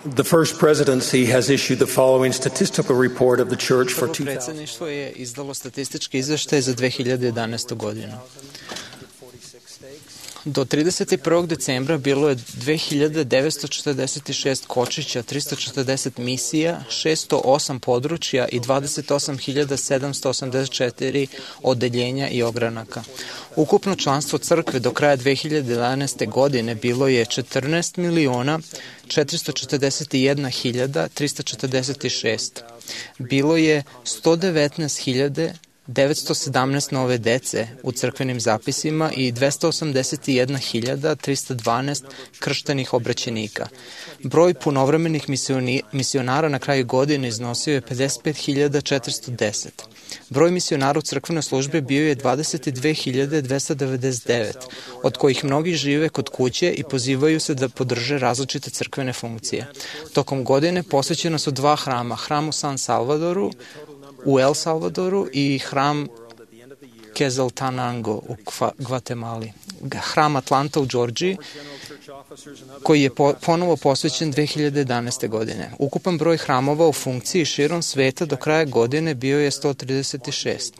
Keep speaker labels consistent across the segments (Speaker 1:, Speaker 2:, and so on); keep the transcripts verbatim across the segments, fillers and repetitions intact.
Speaker 1: The first presidency has issued the following statistical report of the church for
Speaker 2: Prvo
Speaker 1: two thousand.
Speaker 2: predsjedništvo je izdalo statistički izveštaj za dve hiljade jedanaestu godinu. Do trideset prvog decembra bilo je dve hiljade devetsto četrdeset šest kočića, trista četrdeset misija, šesto osam područja i dvadeset osam hiljada sedamsto osamdeset četiri odeljenja i ogranaka. Ukupno članstvo crkve do kraja dve hiljade jedanaeste. godine bilo je četrnaest miliona četiristo četrdeset jedna hiljada trista četrdeset šest. Bilo je sto devetnaest hiljada devetsto sedamnaest nove dece u crkvenim zapisima i dvesta osamdeset jedna hiljada trista dvanaest krštenih obraćenika. Broj punovremenih misionara na kraju godine iznosio je pedeset pet hiljada četiristo deset. Broj misionara u crkvenoj službi bio je dvadeset dve hiljade dvesta devedeset devet, od kojih mnogi žive kod kuće i pozivaju se da podrže različite crkvene funkcije. Tokom godine posvećena su dva hrama, hram u San Salvadoru, u El Salvadoru i hram Quetzaltenango u Gvatemali. Hram Atlanta u Džordžiji, koji je po, ponovo posvećen dve hiljade jedanaeste. godine. Ukupan broj hramova u funkciji širom sveta do kraja godine bio je sto trideset šest.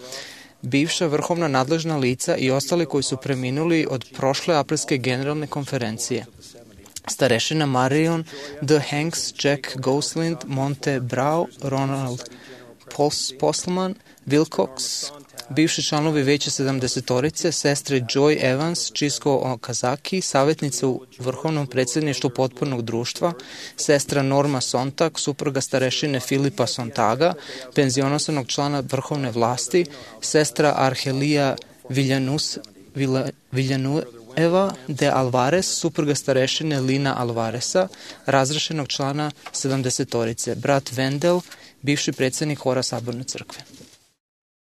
Speaker 2: Bivša vrhovna nadležna lica i ostali koji su preminuli od prošle aprilske generalne konferencije. Starešina Marion D. Hanks, Jack Goslind, Monte Brau, Ronald Postelman, Wilcox, bivši članovi veća sedamdesetorice, sestre Joy Evans, Čisko Okazaki, savjetnica u Vrhovnom predsjedništvu potpornog društva, sestra Norma Sontag, supruga starešine Filipa Sontaga, penzionosanog člana vrhovne vlasti, sestra Arhelija Viljanus, Viljanueva de Alvarez, supruga starešine Lina Alvareza, razrešenog člana sedamdesetorice, brat Vendel, bivši predsjednik hora Saborne crkve.